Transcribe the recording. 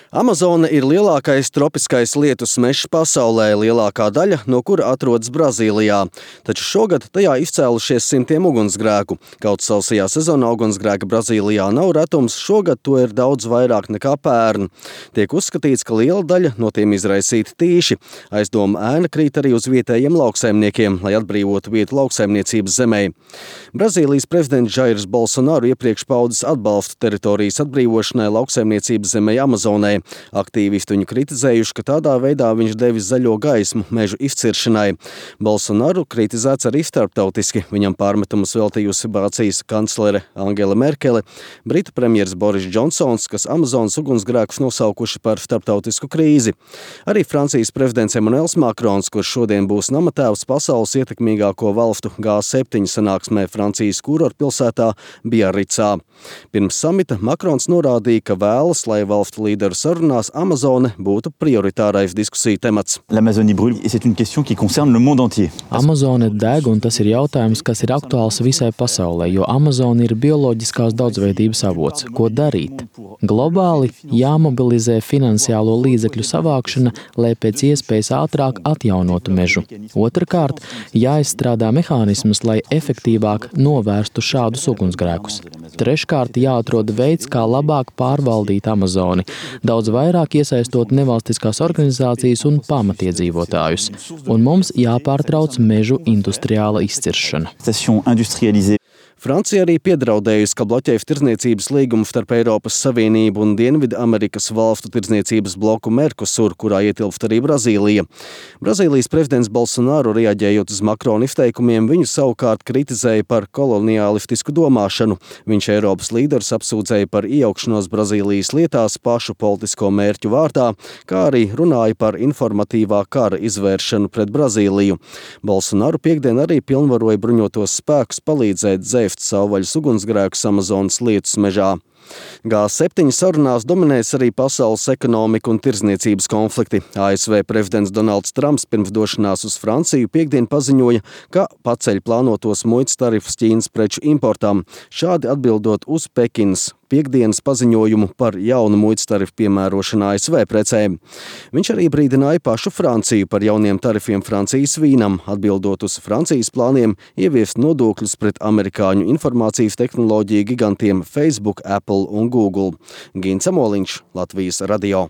Amazone ir lielākais tropiskais lietus mežs pasaulē, lielākā daļa no kura atrodas Brazīlijā. Taču šogad tajā izcēlušies simtiem ugunsgrēku. Kaut sausajā sezonā ugunsgrēka Brazīlijā nav retums, šogad to ir daudz vairāk nekā pērn. Tiek uzskatīts, ka liela daļa no tiem izraisīti tīši. Aizdoma ēna krīt arī uz vietējiem lauksaimniekiem, lai atbrīvotu vietu lauksaimniecības zemē. Brazīlijas prezidents Jairs Bolsonaro iepriekš paudis atbalstu teritorijas atbrīvošanai lauksaimniecības zemē Amazonē. Aktīvisti viņu kritizējuši, ka tādā veidā viņš devis zaļo gaismu mežu izciršanai. Bolsonaro kritizēts arī starptautiski. Viņam pārmetumus veltījusi Vācijas kanclere Angela Merkele, Britu premjers Boris Džonsons, kas Amazonas ugunsgrēkus nosaukuši par starptautisku krīzi. Arī Francijas prezidents Emmanuels Macrons, kurš šodien būs namatēvs pasaules ietekmīgāko valstu G7 sanāksmē Francijas kurortpilsētā Biarricā. Pirms samita Macrons norādīja, ka vēlas, lai valstu līderu sarunās Amazone būtu prioritārais diskusiju temats. Amazone deg, un tas ir jautājums, kas ir aktuāls visai pasaulē, jo Amazone ir bioloģiskās daudzveidības avots. Ko darīt? Globāli jāmobilizē finansiālo līdzekļu savākšana, lai pēc iespējas ātrāk atjaunotu mežu. Otrakārt, jāizstrādā mehānismus, lai efektīvāk novērstu šādus ugunsgrēkus. Treškārt, jāatrod veids, kā labāk pārvaldīt Amazoni, daudz vairāk iesaistot nevalstiskās organizācijas un pamatiedzīvotājus. Un mums jāpārtrauc mežu industriāla izciršana. Francija arī piedraudējusi, ka bloķēs tirdzniecības līgumu starp Eiropas Savienību un Dienvidamerikas valstu tirdzniecības bloku Mercosur, kurā ietilpst arī Brazīlija. Brazīlijas prezidents Bolsonaro, reaģējot uz Macrona izteikumiem, viņu savukārt kritizēja par koloniālistisku domāšanu. Viņš Eiropas līderus apsūdzēja par iejaukšanos Brazīlijas lietās pašu politisko mērķu vārdā, kā arī runāja par informatīvā kara izvēršanu pret Brazīliju. Bolsonaro piekdien arī pilnvaroja bruņotos spēkus palīdzēt dzēst savvaļas ugunsgrēkus Amazonas lietus mežā. G7 sarunās dominēs arī pasaules ekonomika un tirdzniecības konflikti. ASV prezidents Donalds Trumps pirms došanās uz Franciju piekdien paziņoja, ka paceļ plānotos muitas tarifus Ķīnas preču importām, šādi atbildot uz Pekinas piekdienas paziņojumu par jaunu muitas tarifu piemērošanu ASV precēm. Viņš arī brīdināja pašu Franciju par jauniem tarifiem Francijas vīnam, atbildot uz Francijas plāniem ieviest nodokļus pret amerikāņu informācijas tehnoloģiju gigantiem Facebook, Apple un Google. Gins Amoliņš, Latvijas radio.